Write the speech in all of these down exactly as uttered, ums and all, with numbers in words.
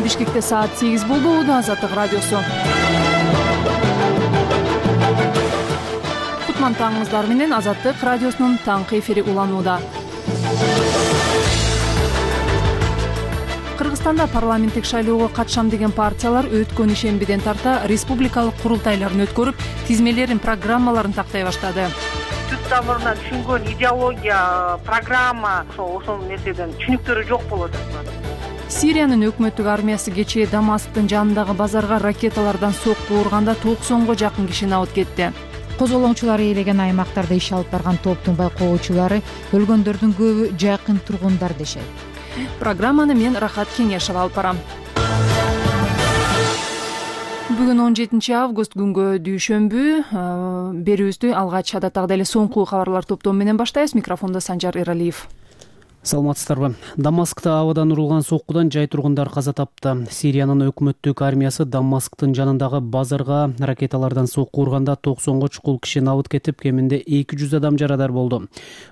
Бишкекте саат сегиз болду. Азаттык радиосу. Кутман таңыңыздар менен Азаттык радиосунун таңкы эфири уланууда. Кыргызстанда парламенттик шайлоого катышам деген партиялар өткөн ишембиден тарта республикалык курултайларын өткөрүп, тизмелерин, программаларын тактай баштады. Түп тамырынан түшүнгөн идеология, программа ошол ошол нерседен түшүнүктөрү жок болот. Сириянын өкмөттүк армиясы кечээ Дамасктын жанындагы базарга ракеталардан сокку урганда токсонго жакын киши набыт кетти. Козголоңчулар ээлеген аймактарда иш алып барган топтун байкоочулары өлгөндөрдүн көбү жакын тургундар дешет. Программаны мен Рахат Кеңешова алып барам. Бүгүн он жетинчи август күнгө дүйшөмбү. Берүүбүздү алгач адаттагыдай эле соңку кабарлар топтому менен баштайбыз. Микрофондо Санжар Эралиев. Саламатсыздарбы. Дамаскта абадан урулган соккудан жай тургундар каза тапты. Сириянын өкмөттүк армиясы Дамасктын жанындагы базарга ракеталардан сокку урганда токсонго чукул киши набыт кетип, кеминде эки жүз адам жарадар болду.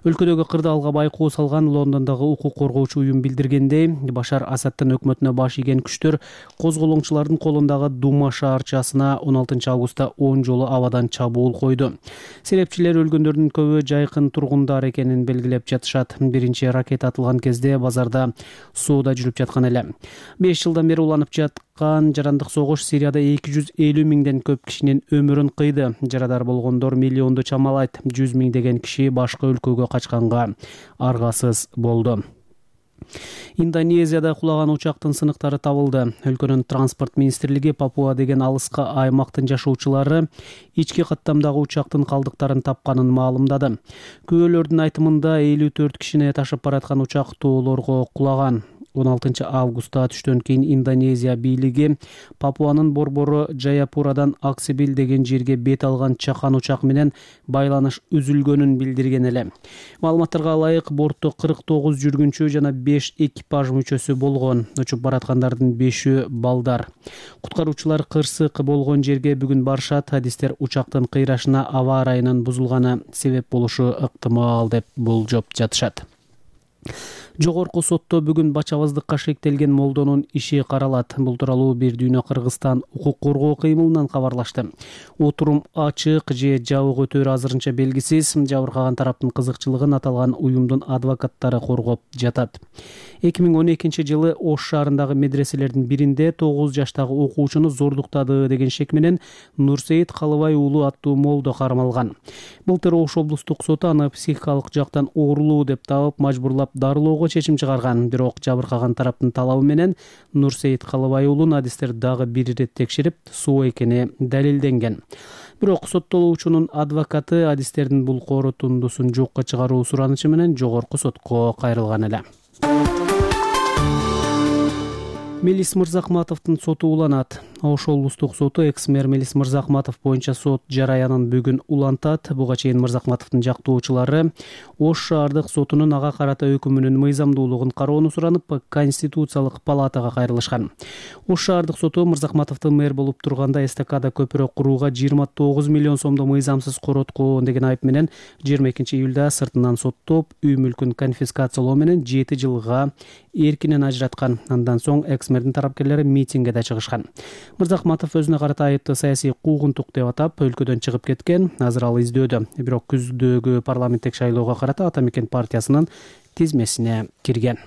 Өлкөдөгү кырдаалга байкоо салган Лондондогу укук коргоочу уюм билдиргендей, Башар Асадтын өкмөтүнө баш ийген күчтөр козголоңчулардын колундагы Дума шаарчасына он алтынчы августта он жолу абадан чабуул койду. Серепчилер өлгөндөрдүн көбү жайкын тургундар экенин белгилеп жатышат. Биринчи ракета атылган кезде базарда соода жүрүп жаткан эле. беш жылдан бери уланып жаткан жарандык согуш Сирияда эки жүз элүү миңден көп кишинин өмүрүн кыйды. Жарадар болгондор миллионду чамалайт. жүз миңдеген киши башка өлкөгө качканга аргасыз болду. Индонезияда кулаган учактын сыныктары табылды. Өлкөнүн транспорт министрлиги Папуа деген алыска аймактын жашоочулары ички каттамдагы учактын калдыктарын тапканын маалымдады. Күбөлөрдүн айтымында элүү төрт кишини ташып бараткан учак тоолорго кулаган. он алтынчы августта түштөн кийин Индонезия бийлиги Папуанын борбору Жаяпурадан Аксибил деген жерге бет алган чакан учак менен байланыш үзүлгөнүн билдирген эле. Маалыматтарга ылайык, бортто кырк тогуз жүргүнчү жана беш экипаж мүчөсү болгон. Учуп бараткандардын бешөө балдар. Куткаруучулар кырсык болгон жерге бүгүн барышат. Адистер учактын кыйрашына аба ырайынын бузулганы себеп болушу ыктымал деп болжоп жатышат. Жогорку сотто бүгүн бачабаздыкка шектелген молдонун иши каралат. Бул тууралуу Бир дүйнө Кыргызстан укук коргоо кыймылынан кабарлашты. Отурум ачык же жабык өтөөрү азырынча белгисиз. Жабыркаган тараптын кызыкчылыгын аталган уюмдун адвокаттары коргоп жатат. эки миң он экинчи жылы Ош шаарындагы медреселердин биринде тогуз жаштагы окуучуну зордуктады деген шек менен Нурсейит Калыбай уулу аттуу молдо кармалган. Былтыр Ош облустук соту аны психикалык жактан оорулуу деп табып, мажбурлап дарылоого чечим чыгарган. Бирок жабыркаган тараптын талабы менен Нурсейит Калыбай уулун адистер дагы бир ирет текшерип, соо экени далилденген. Бирок соттолуучунун адвокаты адистердин бул корутундусун жокко чыгаруу суранычы менен жогорку сотко кайрылган эле. Мелис Мырзахматовдун соту уланат. Ош облустук соту экс-мэр Мелис Мырзахматов боюнча сот жараянын бүгүн улантат. Буга чейин Мырзахматовдун жактоочулары Ош шаардык сотунун ага карата өкүмүнүн мыйзамдуулугун кароону суранып, Конституциялык палатага кайрылышкан. Ош шаардык соту Мырзахматовду мэр болуп турганда эстакада көпүрө курууга жыйырма тогуз миллион сомдо мыйзамсыз короткон деген айып менен жыйырма экинчи июлда сыртынан соттоп, үй мүлкүн конфискациялоо менен жети жылга эркинен ажыраткан. Андан соң экс-мэрдин тарапкерлери митингге да чыгышкан. Мырзахматов өзүнө карата айыпты саясий куугунтук деп атап, өлкөдөн чыгып кеткен. Азыр ал издөөдө. Бирок күздөгү парламенттик шайлоого карата Ата Мекен партиясынын тизмесине кирген.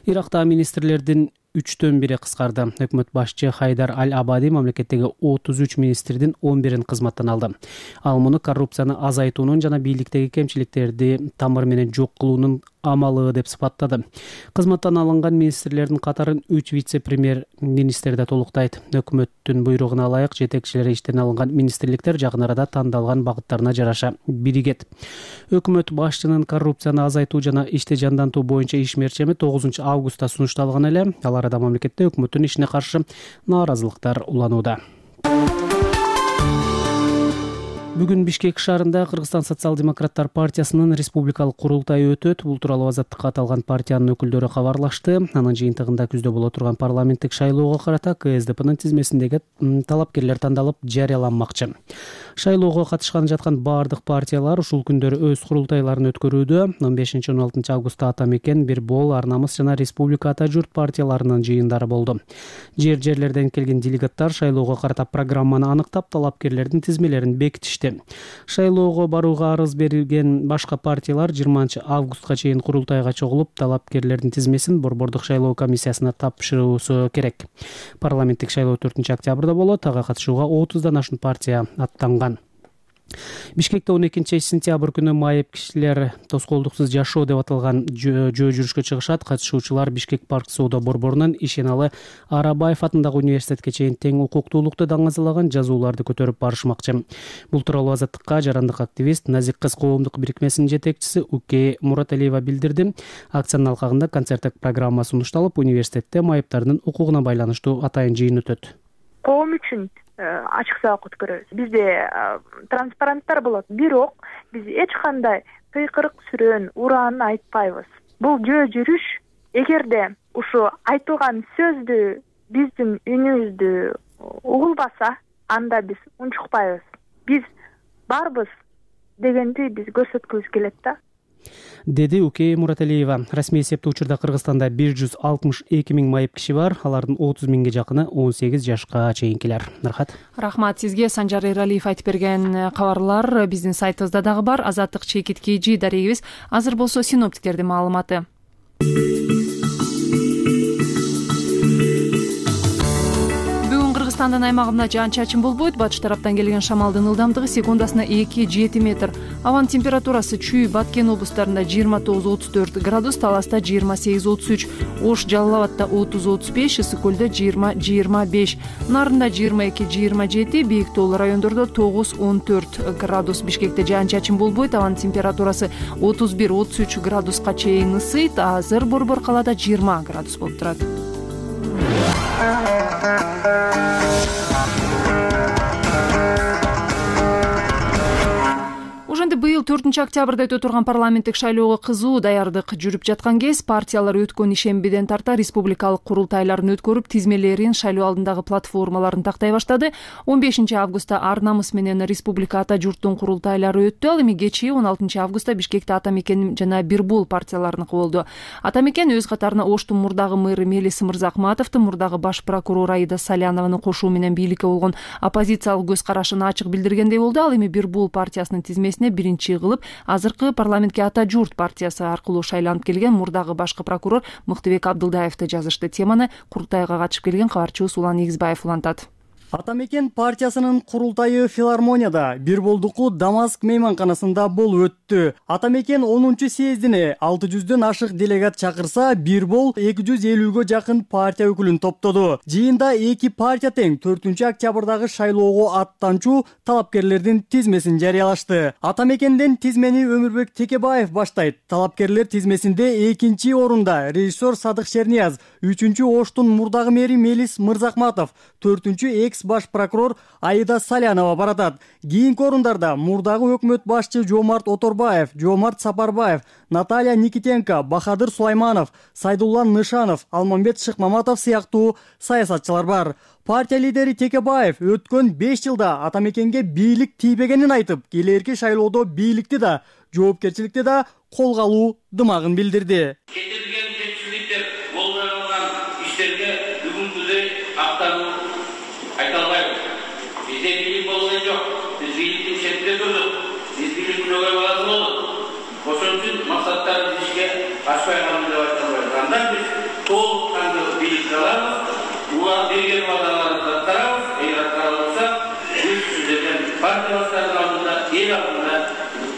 Иракта министрлердин үчтөн бири кыскарды. Өкмөт башчы Хайдар Аль-Абади мамлекеттеги отуз үч министрдин он бирин кызматтан алды. Ал муну коррупцияны азайтуунун жана бийликтеги кемчиликтерди тамыр менен жок кылуунун амалы деп сыпаттады. Кызматтан алынган министрлердин катарын үч вице-премьер министр да толуктайт. Өкмөттүн буйругуна ылайык жетекчилери иштен алынган министрликтер жакын арада тандалган багыттарына жараша биригет. Өкмөт башчынын коррупцияны азайтуу жана ишти жандантуу боюнча иш мерчеми тогузунчу августта сунушталган эле. Ал арада мамлекетте өкмөттүн ишине каршы нааразылыктар уланууда. Бүгүн Бишкек шаарында Кыргызстан социал-демократтар партиясынын республикалык курултайы өтөт. Бул тууралуу Азаттыкка аталган партиянын өкүлдөрү кабарлашты. Анын жыйынтыгында күздө боло турган парламенттик шайлоого карата КСДПнын тизмесиндеги талапкерлер тандалып жарыяланмакчы. Шайлоого катышканы жаткан баардык партиялар ушул күндөрү өз курултайларын өткөрүүдө. он бешинчи он алтынчы августта Ата мекен, Бир бол, Ар намыс жана Республика Ата журт партияларынын жыйындары болду. Жер-жерлерден келген делегаттар шайлоого карата программаны аныктап, талапкерлердин тизмелерин бекитишти. Шайлоого барууга арыз берилген башка партиялар жыйырманчы августка чейин курултайга чогулуп, талапкерлердин тизмесин Борбордук шайлоо комиссиясына тапшыруусу керек. Парламенттик шайлоо төртүнчү октябрда болот. Ага катышууга отуздан ашуун партия аттанган. Бишкекте он экинчи сентябрь күнү майып кишилер тоскоолдуксуз жашоо деп аталган жөө жүрүшкө чыгышат. Катышуучулар Бишкек парк соода борборунан Ишеналы Арабаев атындагы университетке чейин тең укуктуулукту даңазалаган жазууларды көтөрүп барышмакчы. Бул тууралуу Азаттыкка жарандык активист Назик кыз коомдук бирикмесинин жетекчиси Уке Мураталиева билдирди. Акциянын алкагында концерттик программа сунушталып, университетте майыптардын укугуна байланыштуу атайын жыйын өтөт. Коом үчүн ачык сабак өткөрөбүз. Бизде транспаранттар болот, бирок биз эч кандай кыйкырык сүрөөн, урааны айтпайбыз. Бул жөө жүрүш эгерде ушу айтылган сөздү, биздин үнүбүздү угулбаса, анда биз унчукпайбыз. Биз барбыз дегенди биз көрсөткүбүз келет да. Деди Уке Мураталиева. Расмий эсептөө учурда Кыргызстанда бир жүз алтымыш эки миң майып киши бар. Алардын отуз миңге жакыны он сегиз жашка чейинкилер. Рахат. Рахмат сизге. Санжар Эралиев айтып берген кабарлар биздин сайтыбызда дагы бар. Азаттык чекит kg дарегибиз. Азыр болсо синоптиктердин маалыматы. Кыргызстандын аймагында жаан-чачын болбойт. Батыш тараптан келген шамалдын ылдамдыгы секундасына эки жети метр. Абанын температурасы Чүй, Баткен облустарында жыйырма тогуз отуз төрт градус, Таласта жыйырма сегиз отуз үч, Ош, Жалал Абадта отуз отуз беш, Ысык көлдө жыйырма жыйырма беш, Нарында жыйырма эки жыйырма жети, Бийик тоолуу райондордо тогуз он төрт градус. Бишкекте жаан-чачын болбойт. Абанын температурасы отуз бир отуз үч градуска чейин ысыйт. Азыр борбор калаада жыйырма градус болуп турат. Ошондой быйыл төртүнчү октябрда өтө турган парламенттик шайлоого кызуу даярдык жүрүп жаткан кез партиялар өткөн ишембиден тарта республикалык курултайларын өткөрүп, тизмелерин, шайлоо алдындагы платформаларын тактай баштады. он бешинчи августта Ар намыс менен Республика Ата журттун курултайлары өттү. Ал эми кечээ он алтынчы августта Бишкекте Ата мекен жана Бир бол партияларыныкы болду. Ата мекен өз катарына Оштун мурдагы мэрі Мелис Мырзакматовду, мурдагы баш прокурор Аида Салянованы кошуу менен бийликке болгон оппозициялык көз карашын ачык билдиргендей болду. Ал эми Бир бол партиясынын тизмесине биринчи кылып азыркы парламентке Ата журт партиясы аркылуу шайланып келген мурдагы башкы прокурор Мыктыбек Абдылдаевди жазышты. Теманы курултайга катышып келген кабарчыбыз Улан Негизбаев улантат. Ата мекен партиясынын курултайы филармонияда, Бир болдуку Дамаск мейманканасында болуп өттү. Ата мекен онунчу съездине алты жүздөн ашык делегат чакырса, Бир бол эки жүз элүүгө жакын партия өкүлүн топтоду. Жыйында эки партия тең төртүнчү октябрдагы шайлоого аттанчу талапкерлердин тизмесин жарыялашты. Ата мекенден тизмени Өмүрбек Текебаев баштайт. Талапкерлер тизмесинде экинчи орунда режиссер Садык Шернияз, үчүнчү Оштун мурдагы мэри Мелис Мырзакматов, төртүнчү экс баш прокурор Аида Салянова баратат. Кийинки орундарда мурдагы өкмөт башчы Жомарт Оторбаев, Жомарт Сапарбаев, Наталья Никитенко, Бахадыр Сулайманов, Сайдулла Нышанов, Алмамбет Шыкмаматов сыяктуу саясатчылар бар. Партия лидери Текебаев өткөн беш жылда Ата мекенге бийлик тийбегенин айтып, келерки шайлоодо бийликти да, жоопкерчиликти да колго алуу дымагын билдирди. Кетирилген жетишсиздиктер, болбогон иштерге бүгүнкүдөй актануу айта албайбыз. Бизде бийлик болгон жок. Биз бийликтин шетинде турдук. Биз бийлик күнөөгө баазы болдук. Ошон үчүн максаттарды ишке ашпай калды деп айта албайбыз. Андан биз толук кандуу бийликти алабыз. Улар берген ваадаларды аткарабыз. Эгер аткара алса, биз сиздерден партиялаштардын алдында, эл алдында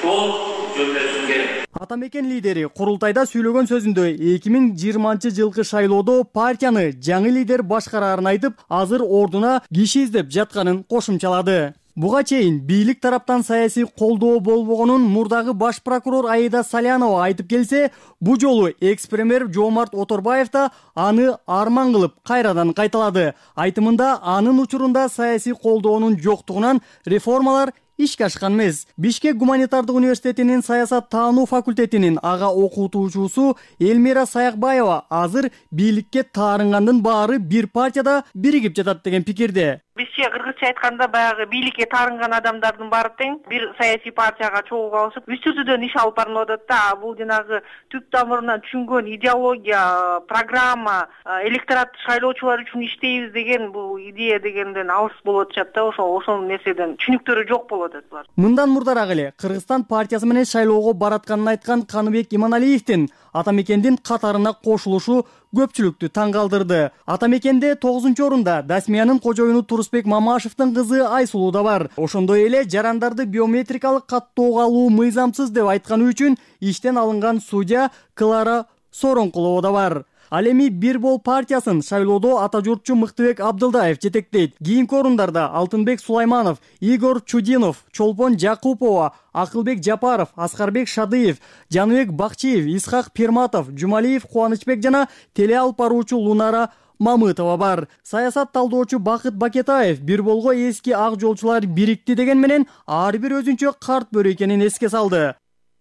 толук жөндөшүш керек. Ата мекен лидери курултайда сүйлөгөн сөзүндө эки миң жыйырманчы жылкы шайлоодо партияны жаңы лидер башкарарын айтып, азыр ордуна киши издеп жатканын кошумчалады. Буга чейин бийлик тараптан саясий колдоо болбогонун мурдагы баш прокурор Аида Салянова айтып келсе, бу жолу экс-премьер Жомарт Оторбаев да аны арман кылып кайрадан кайталады. Айтымында анын учурунда саясий колдоонун жоктугунан реформалар ишке ашкан эмес. Бишкек гуманитардык университетинин саясат таануу факультетинин ага окутуучусу Элмира Саякбаева азыр бийликке таарынгандын баары бир партияда биригип жатат деген пикирде. Бизче кыргызча айтканда баягы бийликке таарынган адамдардын баары тең бир саясий партияга чогуу алышып үч түрдөн иш алып барылып атат да. Бул жанагы түп тамырынан түшүнгөн идеология, программа, электорат шайлоочулар үчүн иштейбиз деген бул идея дегенден алыс болуп атышат да. Ошол ошол нерседен түшүнүктөрү жок болуп атат булар. Мындан мурдараак эле Кыргызстан партиясы менен шайлоого баратканын айткан Каныбек Иманалиевдин ата мекендин катарына кошулушу көпчүлүктү таң калтырды. Ата мекенде тогузунчу орунда Дасмиянын кожоюну Турусбек Мамашевдин кызы Айсулуу да бар. Ошондой эле жарандарды биометрикалык каттоого алуу мыйзамсыз деп айтканы үчүн иштен алынган судья Клара Соронкулова да бар. Ал эми Бир бол партиясын шайлоодо ата журтчу Мыктыбек Абдылдаев жетектейт. Кийинки орундарда Алтынбек Сулайманов, Игорь Чудинов, Чолпон Жакупова, Акылбек Жапаров, Аскарбек Шадыев, Жаныбек Бакчиев, Исхак Пирматов, Жумалиев Кубанычбек жана теле алып баруучу Лунара Мамытова бар. Саясат талдоочу Бакыт Бакетаев Бир болго эски ак жолчулар бирикти деген менен ар бир өзүнчө карт бөрү экенин эске салды.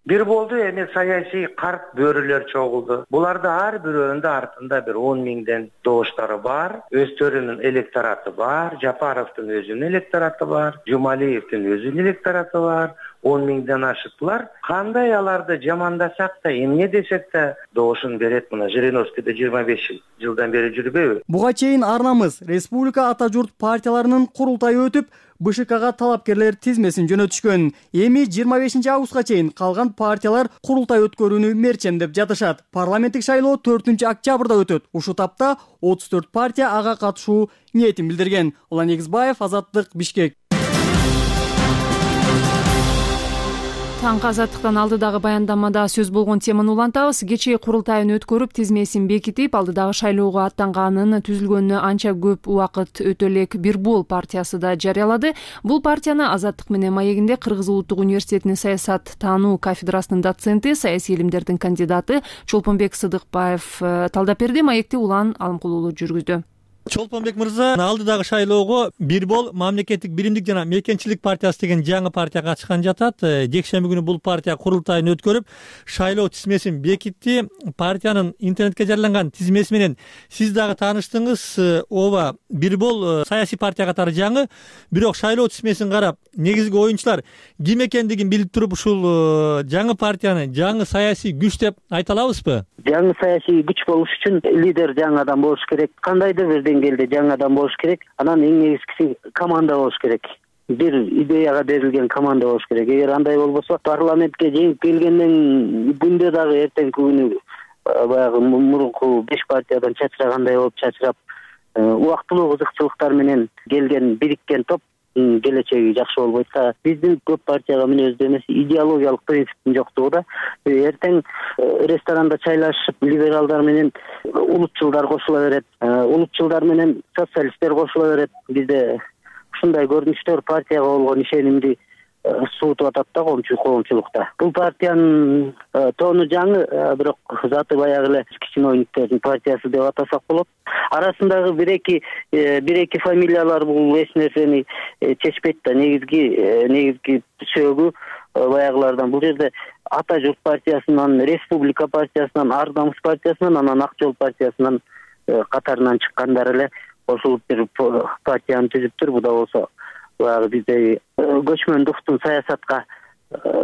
Бир болду эми саясий карт бөрүлөр чогулду. Буларды ар бирөөнүн артында бир он миңден добуштары бар, өздөрүнүн электораты бар, Жапаровдун өзүнүн электораты бар, Жумалиевдин өзүнүн электораты бар, он миңден ашыктылар. Кандай аларды жамандасак да, эмне десек да добушун берет. Мына Жириновскийде жыйырма беш жылдан бери жүрбөйбү? Буга чейин арнамыз Республика ата журт партияларынын курултайы өтүп, Б Ш Кга талапкерлер тизмесин жөнөтүшкөн. Эми жыйырма бешинчи августка чейин калган партиялар курултай өткөрүүнү мерчемдеп жатышат. Парламенттик шайлоо төртүнчү октябрда өтөт. Ушул тапта отуз төрт партия ага катышуу ниетин билдирген. Улан Эгизбаев, Азаттык, Бишкек. Таңкы Азаттыктан алдыдагы баяндамада сөз болгон теманы улантабыз. Кечээ курултайын өткөрүп, тизмесин бекитип, алдыдагы шайлоого аттанганын түзүлгөнүнө анча көп убакыт өтө элек Бир бол партиясы да жарыялады. Бул партияны Азаттык менен маегинде Кыргыз Улуттук университетинин саясат таануу кафедрасынын доценти, саясий илимдердин кандидаты Чолпонбек Сыдыкбаев талдап берди. Маекти Улан Алымкулуулу жүргүздү. Чолпонбек мырза, алдыдагы шайлоого Бир бол мамлекеттик биримдик жана мекенчилик партиясы деген жаңы партия катышкан жатат. Жекшемби күнү бул партия курултайын өткөрүп, шайлоо тизмесин бекитти. Партиянын интернетке жарыяланган тизмеси менен сиз дагы тааныштыңыз. Ооба, Бир бол саясий партия катары жаңы, бирок шайлоо тизмесин карап, негизги оюнчулар ким экендигин билип туруп, ушул жаңы партияны жаңы саясий күч деп айта алабызбы? Жаңы саясий күч болуш үчүн лидер жаңы адам болуш керек. Кандайдыр бир деңгээлде жаңы адам болуш керек. Анан эң негизгиси команда болуш керек. Бир идеяга берилген команда болуш керек. Эгер андай болбосо, парламентке жеңип келгенден күндө дагы эртеңки күнү баягы мурунку беш партиядан чачырагандай болуп чачырап, убактылуу кызыкчылыктар менен келген бириккен топ келечеги жакшы болбойт да. Биздин көп партияга мүнөздүү эмес идеологиялык принциптин жоктугу да. Эртең ресторанда чайлашып, либералдар менен улутчулдар кошула берет, улутчулдар менен социалисттер кошула берет. Бизде ушундай көрүнүштөр партияга болгон ишенимди суутуп атат да коомчулукта. Бул партиянын тоону жаңы, бирок заты баягы эле чиновниктердин партиясы деп атасак болот. Арасындагы бир-эки бир-эки фамилиялар бул эч нерсени чечпейт да. Негизги негизги сөөгү баягылардан. Бул жерде Ата журт партиясынан, Республика партиясынан, Ар намыс партиясынан, анан Ак жол партиясынан катарынан чыккандар эле кошулуп бир партияны түзүптүр. Бу да болсо баягы бизде көчмөндүктүн саясатка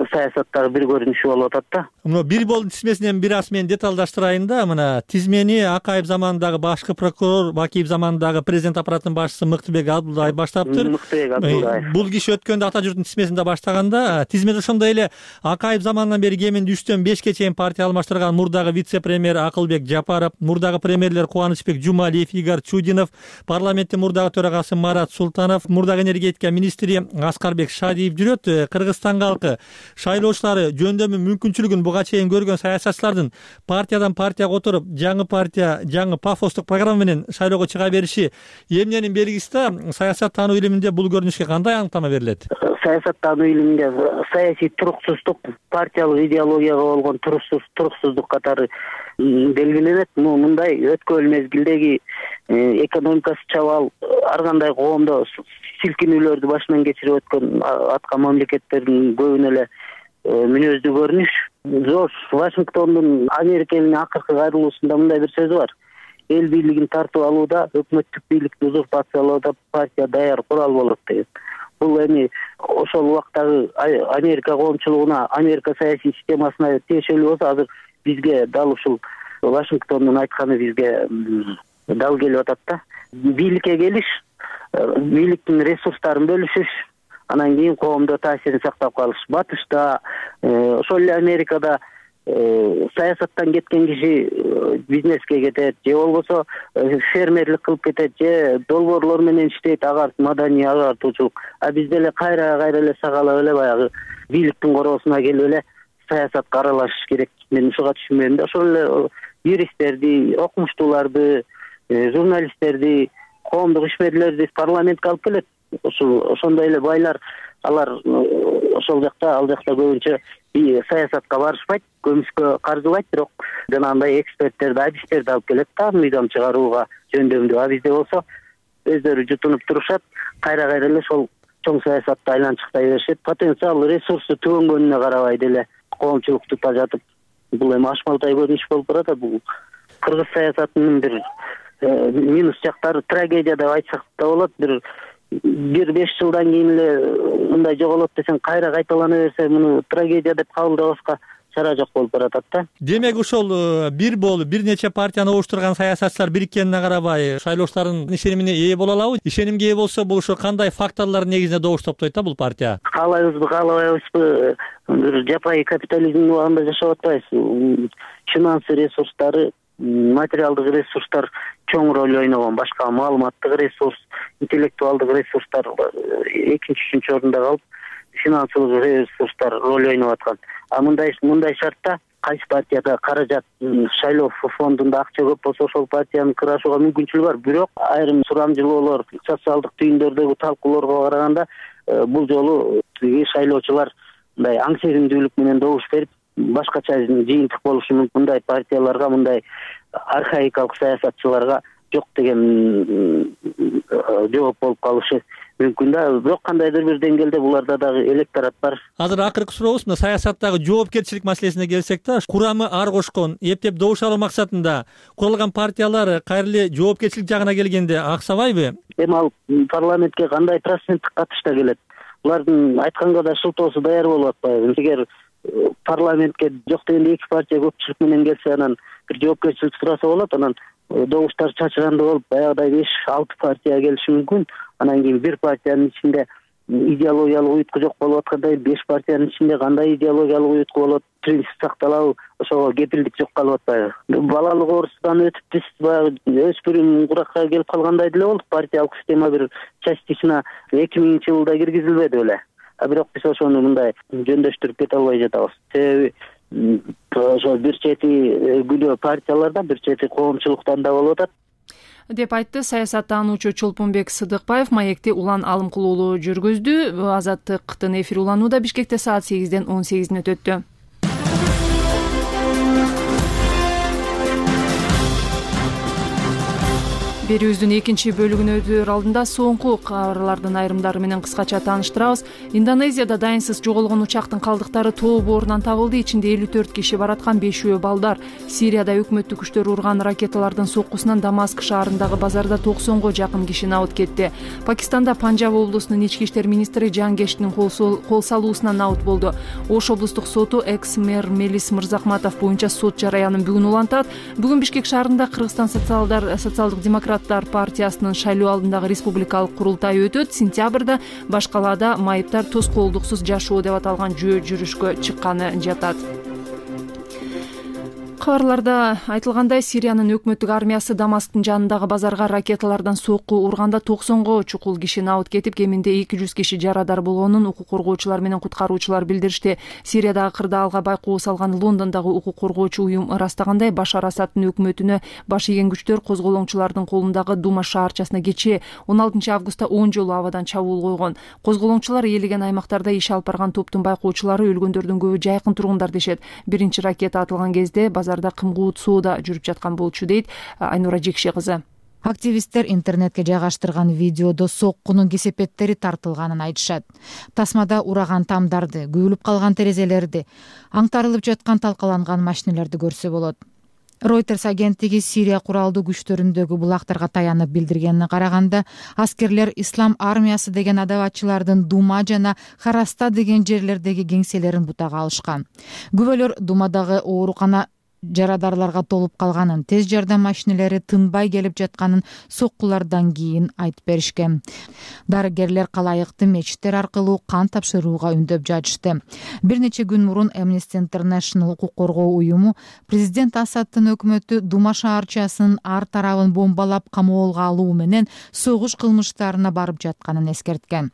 саясаттагы бир көрүнүшү болуп атат да. Мына Бир болдун тизмесинен бир аз мен деталдаштырайын да. Мына тизмени Акаев заманындагы башкы прокурор, Бакиев заманындагы президент аппаратынын башчысы Мыктыбек Абдылдаев баштаптыр. Мыктыбек Абдылдаев. Бул киши өткөндө Ата журттун тизмесинде баштаганда, тизмет ошондой эле Акаев заманынан бери кеминде үчтөн бешке чейин партия алмаштырган мурдагы вице-премьер Акылбек Жапаров, мурдагы премьерлер Кубанычбек Жумалиев, Игорь Чудинов, парламенттин мурдагы төрагасы Марат Султанов, мурдагы энергетика министри Аскарбек Шадиев жүрөт. Кыргызстан калкы шайлоочулары жөндөмү мүмкүнчүлүгүн буга чейин көргөн саясатчылардын партиядан партияга отуруп, жаңы партия, жаңы пафостук программа менен шайлоого чыга бериши эмненин белгиси да? Саясат таануу илиминде бул көрүнүшкө кандай аныктама берилет? Саясат таануу илиминде саясий туруксуздук, партиялык идеологияга болгон туруксуздук катары белгиленет. Мындай өткөн мезгилдеги экономикасы чабал, ар кандай коомдо силкинүүлөрдү башынан кечирип өткөн атка мамлекеттердин көбүнө эле мүнөздүү көрүнүш. Жорж Вашингтондун Америка элине акыркы кайрылуусунда мындай бир сөзү бар: эл бийлигин тартып алууда, өкмөттүк бийликти узурпациялоодо партия даяр курал болот деген. Бул эми ошол убактагы Америка коомчулугуна, Америка саясий системасына тиешелүү болсо, азыр бизге дал ушул Вашингтондун айтканы бизге дал келип атат да. Бийликке келиш, бийликтин ресурстарын бөлүшүш, анан кийин коомдо таасирин сактап калыш. Батышта, ошол эле Америкада саясаттан кеткен киши бизнеске кетет, же болбосо фермерлик кылып кетет, же долбоорлор менен иштейт, агар маданий агартуучулук. А бизде эле кайра кайра эле сагалап эле баягы бийликтин короосуна келип эле саясатка аралашыш керек. Мен ушуга түшүнбөйм да. Ошол эле юристтерди, окумуштууларды, журналисттерди, коомдук ишмерлерди парламентке алып келет. Ошол ошондой эле байлар, алар ошол жакта, ал жакта көбүнчө саясатка барышпайт, көмүскө каржылайт, бирок жанагындай эксперттерди, адистерди алып келет да, мыйзам чыгарууга жөндөмдүү. А бизде болсо өздөрү жутунуп турушат, кайра кайра эле ошол чоң саясатты айланчыктай беришет. Потенциал, ресурсу түгөнгөнүнө карабай деле коомчулукту тажатып, бул эми ашмалтай көрүнүш болуп барат. Бул кыргыз саясатынын бир минус жактары, трагедия деп айтсак да болот. Бир бир беш жылдан кийин эле мындай жоголот десең, кайра кайталана берсе, муну трагедия деп кабылдабаска чара жок болуп баратат да. Демек ушул бир болуп бир нече партияны оштурган саясатчылар бириткенине карабай шайлоочулардын ишенимине ээ боло алабы? Ишенимге ээ болсо, бул ушу кандай факторлордун негизинде добуш топтойт да бул партия? Каалайбызбы, каалабайбызбы, бир жапайы капитализмдин убагында жашап атпайбыз. Финансы ресурстары, материалдык ресурстар чоң роль ойногон. Башка маалыматтык ресурс, интеллектуалдык ресурстар экинчи, үчүнчү орунда калып, финансылык ресурстар роль ойноп аткан. А мындай мындай шартта кайсы партияда каражат, шайлоо фондунда акча көп болсо, ошол партияны кырашууга мүмкүнчүлүгү бар. Бирок айрым сурамжылоолор, социалдык түйүндөрдөгү талкуулоорго караганда, бул жолу шайлоочулар мындай аң сезимдүүлүк менен добуш берип, башкача жыйынтык болушу мүмкүн. Мындай партияларга, мындай архаикалык саясатчыларга жок деген жооп болуп калышы мүмкүн да. Бирок кандайдыр бир деңгээлде буларда дагы электорат бар. Азыр акыркы сурообуз мына саясаттагы жоопкерчилик маселесине келсек да, курамы ар кошкон, эптеп добуш алуу максатында курулган партиялар кайра эле жоопкерчилик жагына келгенде аксабайбы? Эми ал парламентке кандай проценттик катышта келет? Булардын айтканга да шылтоосу даяр болуп атпайбы? Эгер парламентке жок дегенде эки партия көпчүлүк менен келсе, анан бир жоопкерчилик сураса болот. Анан добуштар чачырандуу болуп, баягыдай беш алты партия келиши мүмкүн. Анан кийин бир партиянын ичинде идеологиялык уютку жок болуп аткандай, беш партиянын ичинде кандай идеологиялык уютку болот, принцип сакталабы, ошого кепилдик жок калып атпайбы? Балалык оорусунан өтүп биз баягы өспүрүм куракка келип калгандай деле болдук. Партиялык система бир частичина эки миңинчи жылда киргизилбеди беле. А бирок биз ошону мындай жөндөштүрүп кете албай жатабыз. Себеби ошо бир чети күнөө партиялардан, бир чети коомчулуктан да болуп атат деп айтты саясаттануучу Чолпонбек Сыдыкбаев. Маекти Улан Алымкул уулу жүргүздү. Азаттыктын эфири уланууда. Бишкекте саат сегизден он сегиз мүнөт өттү. Берүүбүздүн экинчи бөлүгүнө өтөр алдында соңку кабарлардын айрымдары менен кыскача тааныштырабыз. Индонезияда дайынсыз жоголгон учактын калдыктары тоо боорунан табылды. Ичинде элүү төрт киши бараткан, бешөө балдар. Сирияда өкмөттүк күчтөр урган ракеталардын соккусунан Дамаск шаарындагы базарда токсонго жакын киши набыт кетти. Пакистанда Панжаб облусунун ички иштер министри Жангештин кол салуусунан набыт болду. Ош облустук соту экс-мэр Мелис Мырзахматов боюнча сот жараянын бүгүн улантат. Бүгүн Бишкек шаарында Кыргызстан социалдык демократ партиясынын шайлоо алдындагы республикалык курултай өтөт. Сентябрда баш калаада майыптар тоскоолдуксуз жашоо деп аталган жөө жүрүшкө чыкканы жатат. Кабарларда айтылгандай, Сириянын өкмөттүк армиясы Дамасктын жанындагы базарга ракеталардан сокку урганда токсонго чукул киши набыт кетип, кеминде эки жүз киши жарадар болгонун укук коргоочулар менен куткаруучулар билдиришти. Сириядагы кырдаалга байкоо салган Лондондогу укук коргоочу уюм ырастагандай, Башар Асадтын өкмөтүнө баш ийген күчтөр козголоңчулардын колундагы Дума шаарчасына кечээ он алтынчы августта он жолу абадан чабуул койгон. Козголоңчулар ээлеген аймактарда иш алып барган топтун байкоочулары өлгөндөрдүн көбү жайкын тургундар дешет. Биринчи ракета атылган кезде базарда кымгуут соода жүрүп жаткан болчу, дейт Айнура Жекше кызы. Активисттер интернетке жайгаштырган видеодо соккунун кесепеттери тартылганын айтышат. Тасмада ураган тамдарды, күйүлүп калган терезелерди, аңтарылып жаткан талкаланган машиналарды көрсө болот. Reuters агенттиги Сирия куралдуу күчтөрүндөгү булактарга таянып билдиргенине караганда, аскерлер Ислам армиясы деген адабатчылардын Дума жана Хараста деген жерлердеги кеңселерин бутага алышкан. Күбөлөр Думадагы оорукана жарадарларга толуп калганын, тез жардам машиналары тынбай келип жатканын соккулардан кийин айтып беришкен. Дарыгерлер калайыкты мечиттер аркылуу кан тапшырууга үндөп жатышты. Бир нече күн мурун Amnesty International укук коргоо уюму президент Асадтын өкмөтү Дума шаарчасынын ар тарабын бомбалап камоолго алуу менен согуш кылмыштарына барып жатканын эскерткен.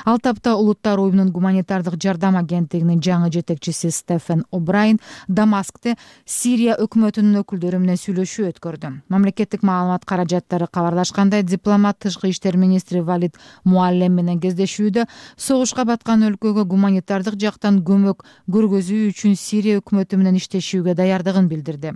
Ал тапта Улуттар уюмунун гуманитардык жардам агенттигинин жаңы жетекчиси Стефен О'Брайен Дамаскте Сирия өкмөтүнүн өкүлдөрү менен сүйлөшүү өткөрдү. Мамлекеттик маалымат каражаттары кабарлашкандай, дипломат тышкы иштер министри Валид Муаллем менен кездешүүдө согушка баткан өлкөгө гуманитардык жактан көмөк көргөзүү үчүн Сирия өкмөтү менен иштешүүгө даярдыгын билдирди.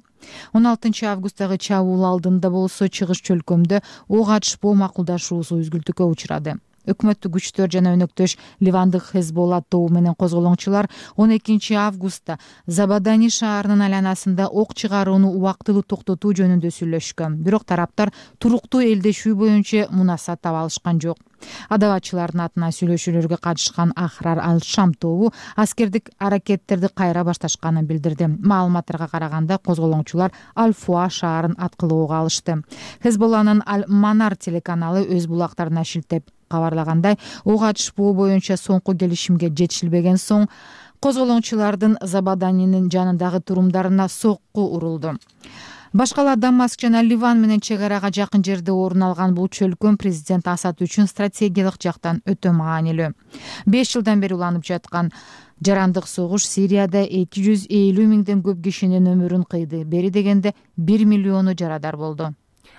он алтынчы августтагы чабуул алдында болсо чыгыш чөлкөмдө ок атышпоо макулдашуусу үзгүлтүккө учурады. Өкмөттүк күчтөр жана өнөктөш Ливандык Хезболла тобу менен козголоңчулар он экинчи августта Забадани шаарынын айланасында ок чыгарууну убактылуу токтотуу жөнүндө сүйлөшкөн. Бирок тараптар туруктуу элдешүү боюнча мунасат таба алышкан жок. Адабатчылардын атынан сүйлөшүүлөргө катышкан Ахрар ал-Шам тобу аскердик аракеттерди кайра башташканын билдирди. Маалыматтарга караганда, козголоңчулар Аль-Фуа шаарын аткылоого алышты. Хезболланын Аль-Манар телеканалы өз булактарына шилтеп кабарлагандай, ок атышпоо боюнча соңку келишимге жетишилбеген соң козголоңчулардын Забаданинин жанындагы турумдарына сокку урулду. Башкала Дамаск жана Ливан менен чек арага жакын жерде орун алган бул чөлкөм президент Асад үчүн стратегиялык жактан өтө маанилүү. беш жылдан бери уланып жаткан жарандык согуш Сирияда эки жүз элүү миңден көп кишинин өмүрүн кыйды. Бери дегенде бир миллиону жарадар болду.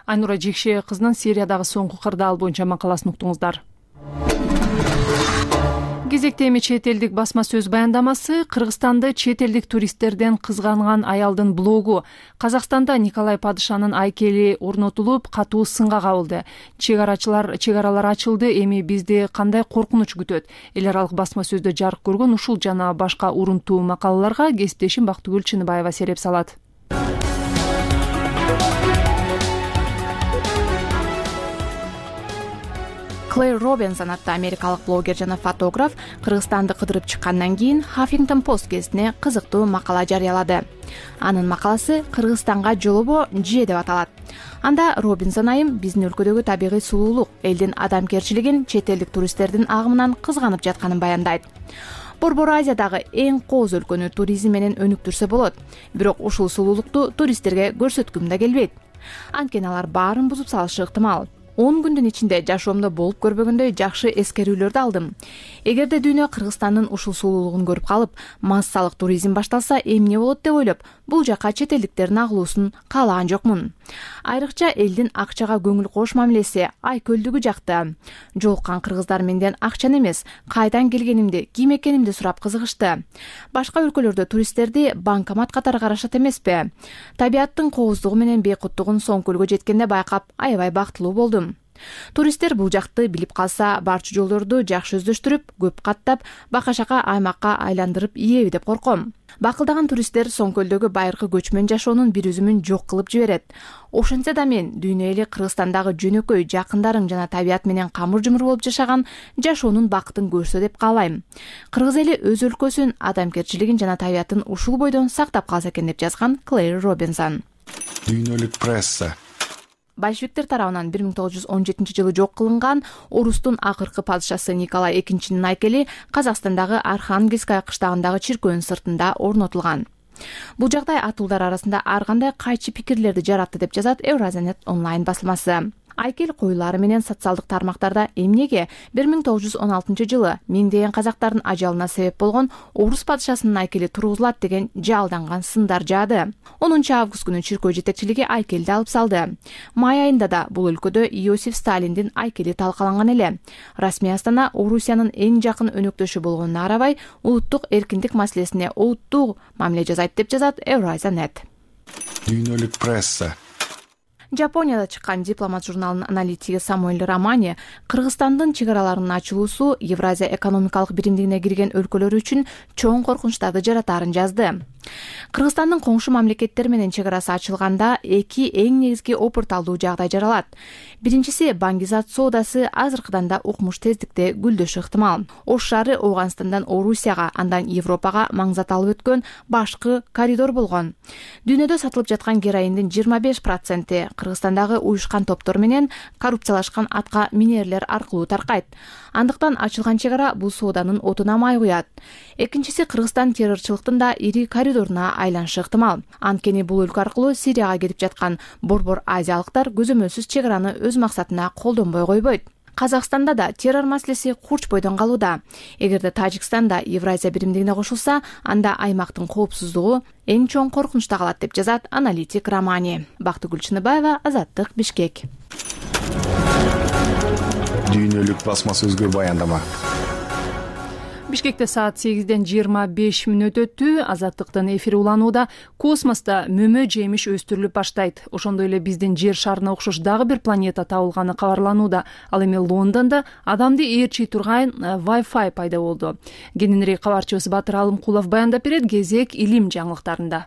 Айнура Жекше кызынын Сириядагы соңку кырдаал боюнча макаласын уктуңуздар. Кезекте эми чет элдик басма сөз баяндамасы. Кыргызстанды чет элдик туристтерден кызганган аялдын блогу Казакстанда Николай Падышанын айкели орнотулуп, катуу сынга кабылды. Чек арачылар чек аралар ачылды, эми бизди кандай коркунуч күтөт? Эл аралык басма сөздө жарык көргөн ушул жана башка урунтуу макалаларга кесиптешим Бактыгүл Чыныбаева сереп салат. Клэр Робинсон аттуу америкалык блогер жана фотограф Кыргызстанды кыдырып чыккандан кийин Huffington Post гезитине кызыктуу макала жарыялады. Анын макаласы Кыргызстанга жолобо же деп аталат. Анда Робинсон айым биздин өлкөдөгү табигый сулуулук, элдин адамгерчилигин чет элдик туристтердин агымынан кызганып жатканын баяндайт. Борбор Азиядагы эң кооз өлкөнү туризм менен өнүктүрсө болот. Бирок ушул сулуулукту туристтерге көрсөткүм да келбейт. Анткени алар баарын бузуп салышы ыктымал. он күндүн ичинде жашоомдо болуп көрбөгөндөй жакшы эскерүүлөрдү алдым. Эгерде дүйнө Кыргызстандын ушул сулуулугун көрүп калып, массалык туризм башталса эмне болот деп ойлоп, бул жака чет элдиктердин агылуусун каалаган жокмун. Айрыкча элдин акчага көңүл кош мамилеси айкөлдүгү жакты. Жолуккан кыргыздар менден акчаны эмес, кайдан келгенимди, ким экенимди сурап кызыгышты. Башка өлкөлөрдө туристтерди банкомат катары карашат эмеспи? Табияттын кооздугу менен бейкуттугун соң көлгө жеткенде байкап, аябай бактылуу болдум. Туристтер бул жакты билип калса, барчу жолдорду жакшы өздөштүрүп, көп каттап, бака-шака аймакка айландырып ийеби деп корком. Бакылдаган туристтер Соңкөлдөгү байыркы көчмөн жашоонун бир үзүмүн жок кылып жиберет. Ошентсе да мен дүйнө эли Кыргызстандагы жөнөкөй, жакындарың жана табият менен камыр-жумур болуп жашаган жашоонун бакытын көрсө деп каалайм. Кыргыз эли өз өлкөсүн, адамгерчилигин жана табиятын ушул бойдон сактап калса экен деп жазган Клэр Робинсон. Дүйнөлүк пресса. Большевиктер тарабынан бир миң тогуз жүз он жетинчи жылы жок кылынган орустун акыркы падышасы Николай экинчинин айкели Казакстандагы Архангельская кыштагындагы чиркөөнүн сыртында орнотулган. Бул жагдай атуулдар арасында ар кандай кайчы пикирлерди жаратты деп жазат Евразиянет онлайн басылмасы. Айкел коюлары менен социалдык тармактарда эмнеге бир миң тогуз жүз он алтынчы жылы миңдеген казактардын ажалына себеп болгон орус падышасынын айкели тургузулат деген жалданган сындар жаады. онунчу август күнү чиркөө жетекчилиги айкелди алып салды. Май айында да бул өлкөдө Иосиф Сталиндин айкели талкаланган эле. Расмий Астана Орусиянын эң жакын өнөктөшү болгонуна карабай, улуттук эркиндик маселесине олуттуу мамиле жасайт деп жазат Евразиянет. Дүйнөлүк пресса. Жапонияда чыккан Дипломат журналынын аналитиги Самуэль Романи Кыргызстандын чек араларынын ачылуусу Евразия экономикалык биримдигине кирген өлкөлөр үчүн чоң коркунучтарды жаратаарын жазды. Кыргызстандын коңшу мамлекеттер менен чек арасы ачылганда эки эң негизги опурталдуу жагдай жаралат. Биринчиси, баңгизат соодасы азыркыдан да укмуш тездикте гүлдөшү ыктымал. Ош шаары Ооганстандан Орусияга, андан Европага маңзат алып өткөн башкы коридор болгон. Дүйнөдө сатылып жаткан героиндин жыйырма беш проценти Кыргызстандагы уюшкан топтор менен коррупциялашкан атка минерлер аркылуу таркайт. Андыктан ачылган чек ара бул сооданын отуна май куят. Экинчиси, Кыргызстан террорчулуктун да ири коридоруна айланышы ыктымал. Анткени бул өлкө аркылуу Сирияга кетип жаткан борбор азиялыктар көзөмөлсүз чек араны өз максатына колдонбой койбойт. Казакстанда да террор маселеси курч бойдон калууда. Эгерде Тажикстан да Евразия биримдигине кошулса, анда аймактын коопсуздугу эң чоң коркунучта калат деп жазат аналитик Романи. Бактыгүл Чыныбаева, Азаттык, Бишкек. Дүйнөлүк басма сөзгө баяндама. Бишкекте саат сегизден жыйырма беш мүнөт өттү. Азаттыктын эфири уланууда. Космоста мөмө жемиш өстүрүлүп баштайт. Ошондой эле биздин жер шарына окшош дагы бир планета табылганы кабарланууда. Ал эми Лондондо адамды ээрчий турган Wi-Fi пайда болду. Кененирээк кабарчыбыз Батыр Алымкулов баяндап берет. Кезек илим жаңылыктарында.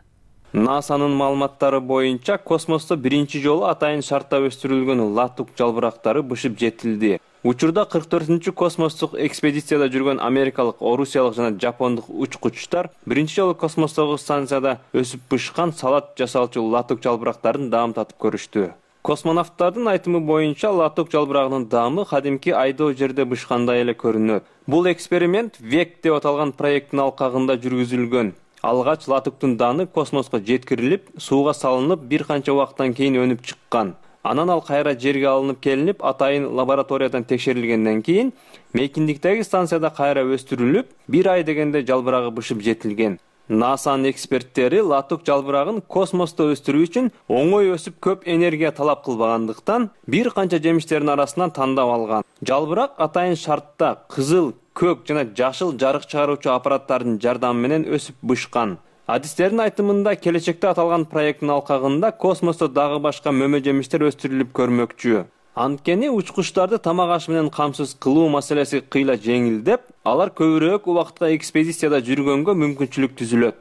НАСАнын маалыматтары боюнча космосто биринчи жолу атайын шартта өстүрүлгөн латук жалбырактары бышып жетилди. Учурда кырк төртүнчү космостук экспедицияда жүргөн америкалык, орусиялык жана жапондук учкучтар биринчи жолу космостогу станцияда өсүп бышкан салат жасалчу латук жалбырактарын даамтатып көрүштү. Космонавттардын айтымы боюнча латук жалбырагынын даамы кадимки айдоо жерде бышкандай эле көрүнөт. Бул эксперимент век деп аталган проекттин алкагында жүргүзүлгөн. Алгач латуктун дааны космоско жеткирилип, сууга салынып, бир канча убакыттан кийин өнүп чыккан. Анан ал кайра жерге алынып келинип, атайын лабораториядан текшерилгенден кийин мейкиндиктеги станцияда кайра өстүрүлүп, бир ай дегенде жалбырагы бышып жетилген. НАСАнын эксперттери латук жалбырагын космосто өстүрүү үчүн оңой өсүп көп энергия талап кылбагандыктан бир канча жемиштердин арасынан тандап алган. Жалбырак атайын шартта кызыл, көк жана жашыл жарык чыгаруучу аппараттардын жардамы менен өсүп бышкан. Адистердин айтымында келечекте аталган проекттин алкагында космосто дагы башка мөмө жемиштер өстүрүлүп көрмөкчү. Анткени учкучтарды тамак аш менен камсыз кылуу маселеси кыйла жеңилдеп, алар көбүрөөк убакытка экспедицияда жүргөнгө мүмкүнчүлүк түзүлөт.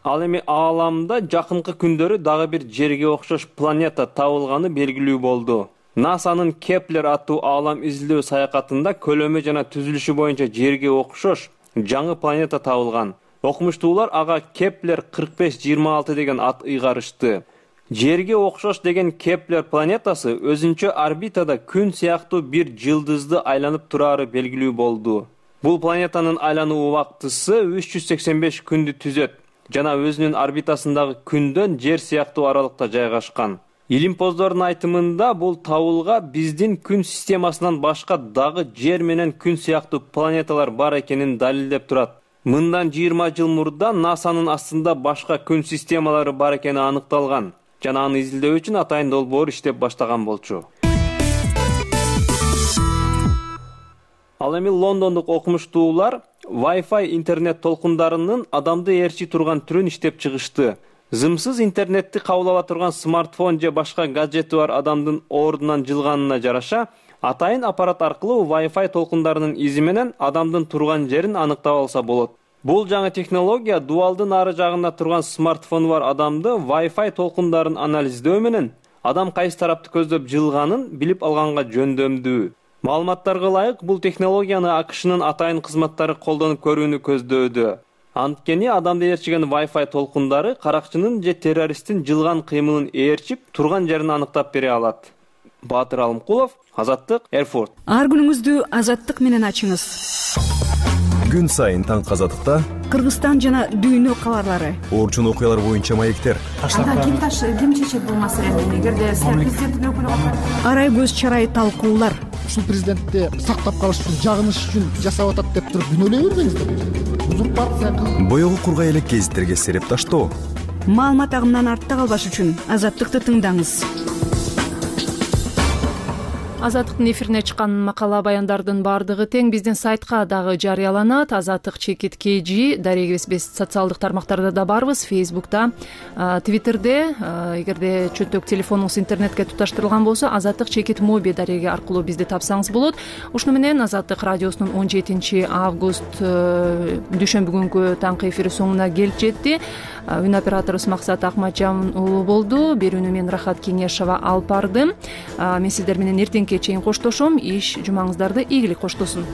Ал эми ааламда жакынкы күндөрү дагы бир жерге окшош планета табылганы белгилүү болду. НАСАнын Кеплер аттуу аалам изилдөө саякатында көлөмү жана түзүлүшү боюнча жерге окшош жаңы планета табылган. Окумуштуулар ага Кеплер кырк беш жыйырма алты деген ат ыйгарышты. Жерге окшош деген Кеплер планетасы өзүнчө орбитада күн сыяктуу бир жылдызды айланып турары белгилүү болду. Бул планетанын айлануу убактысы үч жүз сексен беш күндү түзөт жана өзүнүн орбитасындагы күндөн жер сыяктуу аралыкта жайгашкан. Илимпоздордун айтымында бул табылга биздин күн системасынан башка дагы жер менен күн сыяктуу планеталар бар экенин далилдеп турат. Мындан жыйырма жыл мурда НАСАнын астында башка күн системалары бар экени аныкталган жана аны изилдөө үчүн атайын долбоор иштеп баштаган болчу. Ал эми лондондук окумуштуулар Wi-Fi интернет толкундарынын адамды ээрчи турган түрүн иштеп чыгышты. Зымсыз интернетти кабыл ала турган смартфон же башка гаджети бар адамдын ордунан жылганына жараша, атайын аппарат аркылуу Wi-Fi толкундарынын изи менен адамдын турган жерин аныктап алса болот. Бул жаңы технология дуалдын ары жагында турган смартфону бар адамды Wi-Fi толкундарын анализдөө менен адам кайсы тарапты көздөп жылганын билип алганга жөндөмдүү. Маалыматтарга ылайык, бул технологияны АКШнын атайын кызматтары колдонуп көрүүнү көздөдү. Анткени адамды ээрчиген Wi-Fi толкундары каракчынын же террористтин жылган кыймылын ээрчип, турган жерин аныктап бере алат. Батыр Алымкулов, Азаттык, Эрфурт. Ар күнүңүздү Азаттык менен ачыңыз. Күн сайын таң Азаттыкта Кыргызстан жана дүйнө кабарлары, орчун окуялар боюнча маектер. Анда ким таш ким чечет бул маселени? Эгерде президенттин өкүлү арай көз чарай талкуулар. Ушул президентти сактап калыш үчүн, жагыныш үчүн жасап атат деп туруп күнөөлөй бербеңиздер. Узурпация кылып боёгу кургай элек гезиттерге сереп таштоо. Маалымат агымынан артта калбаш үчүн Азаттыкты тыңдаңыз. Азаттыктын эфирине чыккан макала баяндардын баардыгы тең биздин сайтка дагы жарыяланат. Азаттык чекит kg дареги биз социалдык тармактарда да барбыз, Facebook'та, Twitter'де. Эгерде чөтөк телефонуңуз интернетке туташтырылган болсо, Азаттык чекит моби дареги аркылуу бизди тапсаңыз болот. Ушуну менен Азаттык радиосунун он жетинчи август дүйшөмбү күнгү таңкы эфири соңуна келип жетти. Үн операторубуз Максат Акматжан уулу болду. Берүүнү мен Рахат Кеңешова алып бардым. Мен сиздер менен эртеңки чейин коштошом. Иш жумаңыздарды ийгилик коштосун.